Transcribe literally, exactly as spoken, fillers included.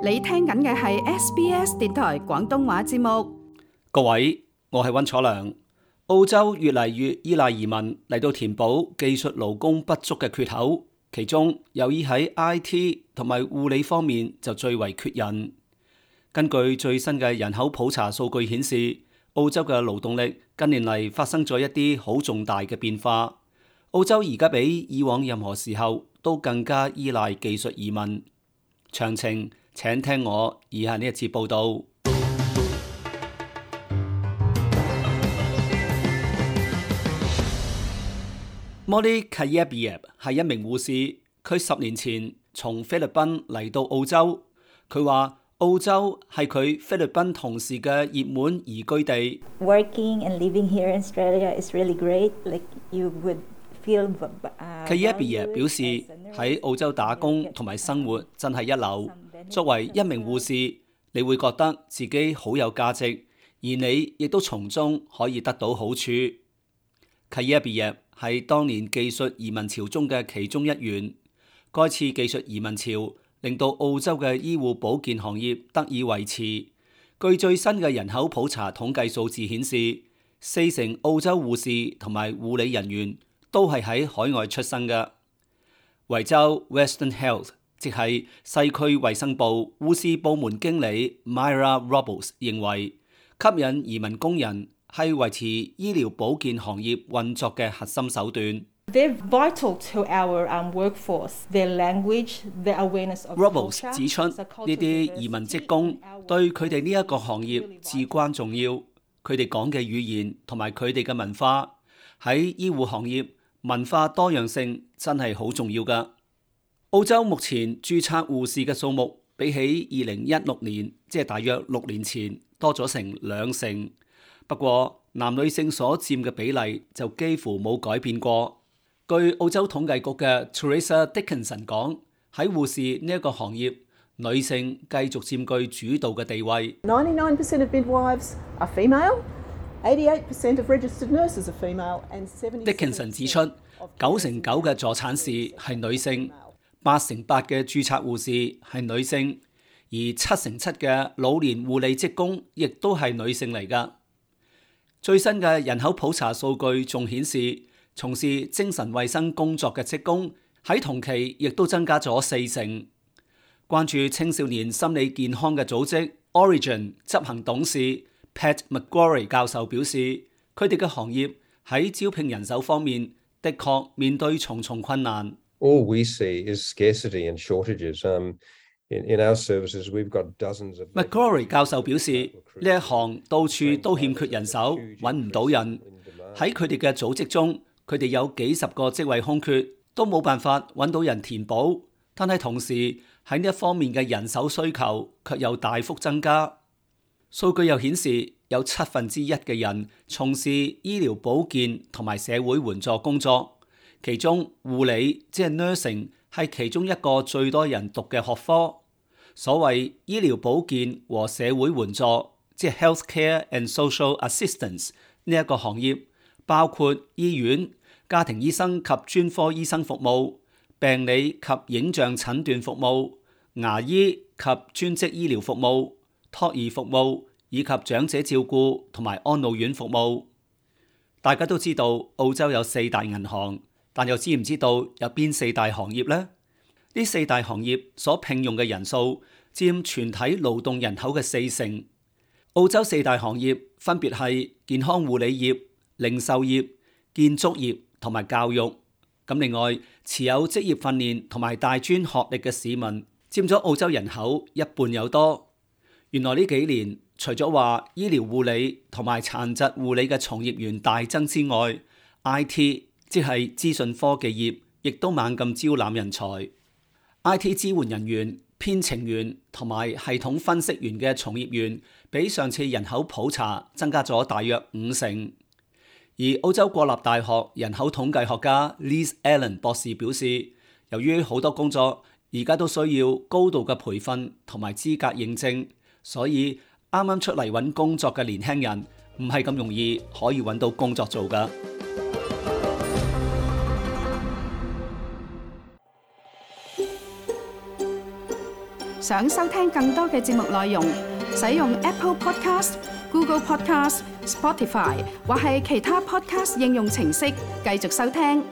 你聽緊嘅係 S B S 電台廣東話節目。各位，我係溫楚良。澳洲越嚟越依賴移民嚟到填補技術勞工不足嘅缺口，其中由於喺 I T 同埋護理方面就最為缺人。根據最新嘅人口普查數據顯示，澳洲嘅勞動力近年嚟發生咗一啲好重大嘅變化。澳洲而家比以往任何時候都更加依賴技術移民。詳情請聽我以下呢一節報道。Molly Kayabyab 係一名護士，佢十年前從菲律賓嚟到澳洲。佢話澳洲係佢菲律賓同事嘅熱門移居地。Working and living here in Australia is really great. Like you would feel. Kayabyab 表示喺澳洲打工同埋生活真係一流。作為一名護士，你會覺得自己好有價值，而你亦都從中可以得到好處。Kayabyab係當年技術移民潮中嘅其中一員。該次技術移民潮令到澳洲嘅醫護保健行業得以維持。據最新嘅人口普查統計數字顯示，四成澳洲護士同埋護理人員都係喺海外出生嘅。維州 Western Health 即係西區衛生部護士部門經理 Myra Robles 認為，吸引移民工人係維持醫療保健行業運作嘅核心手段。They're vital to our um, workforce. Their language, their awareness of Robles 指出，呢啲移民職工對佢哋呢一個行業至關重要。佢哋講嘅語言同埋佢哋嘅文化，喺醫護行業文化多樣性真係好重要㗎。澳洲目前註冊護士嘅數目比起二零一六年，即係大約六年前多咗成兩成。不過男女性所佔嘅比例就幾乎冇改變過。據澳洲統計局嘅 Teresa Dickinson 講，喺護士呢一個行業，女性繼續佔據主導嘅地位。ninety-nine percent of midwives are female, eighty-eight percent of registered nurses are female, and seventy percent Dickinson 指出，九成九嘅助產士係女性，八成八嘅註冊護士係女性，而七成七嘅老年護理職工亦都係女性嚟㗎。最新嘅人口普查數據仲顯示，從事精神衛生工作嘅職工喺同期亦都增加咗四成。關注青少年心理健康嘅組織 Origin 執行董事 Pat McGrory 教授表示，佢哋嘅行業喺招聘人手方面的確面對重重困難。All we see is scarcity and shortages. Um, in, in our services, we've got dozens of. McGrory 教授表示，呢一行到處都欠缺人手，揾唔到人。喺佢哋嘅組織中，佢哋有幾十個職位空缺，都冇辦法揾到人填補。但係同時喺呢一方面嘅人手需求卻又大幅增加。數據又顯示，有七分之一嘅人從事醫療保健同埋社會援助工作。其中護理即係 nursing 係其中一個最多人讀嘅學科。所謂醫療保健和社會援助即係 healthcare and social assistance 呢一個行業，包括醫院、家庭醫生及專科醫生服務、病理及影像診斷服務、牙醫及專職醫療服務、托兒服務以及長者照顧同埋安老院服務。大家都知道澳洲有四大銀行。但又知唔知道有邊四大行業呢？呢四大行業所聘用嘅人數佔全體勞動人口嘅四成。澳洲四大行業分別係健康護理業、零售業、建築業同埋教育。咁另外，持有職業訓練同埋大專學歷嘅市民佔咗澳洲人口一半有多。原來呢幾年，除咗話醫療護理同埋殘疾護理嘅從業員大增之外 ，I T即係資訊科技業，亦都猛咁招攬人才。I T 支援人員、編程員同埋系統分析員嘅從業員，比上次人口普查增加咗大約五成。而澳洲國立大學人口統計學家 Liz Allen 博士表示，由於好多工作而家都需要高度嘅培訓同埋資格認證，所以啱啱出嚟揾工作嘅年輕人唔係咁容易可以揾到工作做㗎。想收聽更多嘅節目內容，使用 Apple Podcast、Google Podcast、Spotify 或係其他 Podcast 應用程式繼續收聽。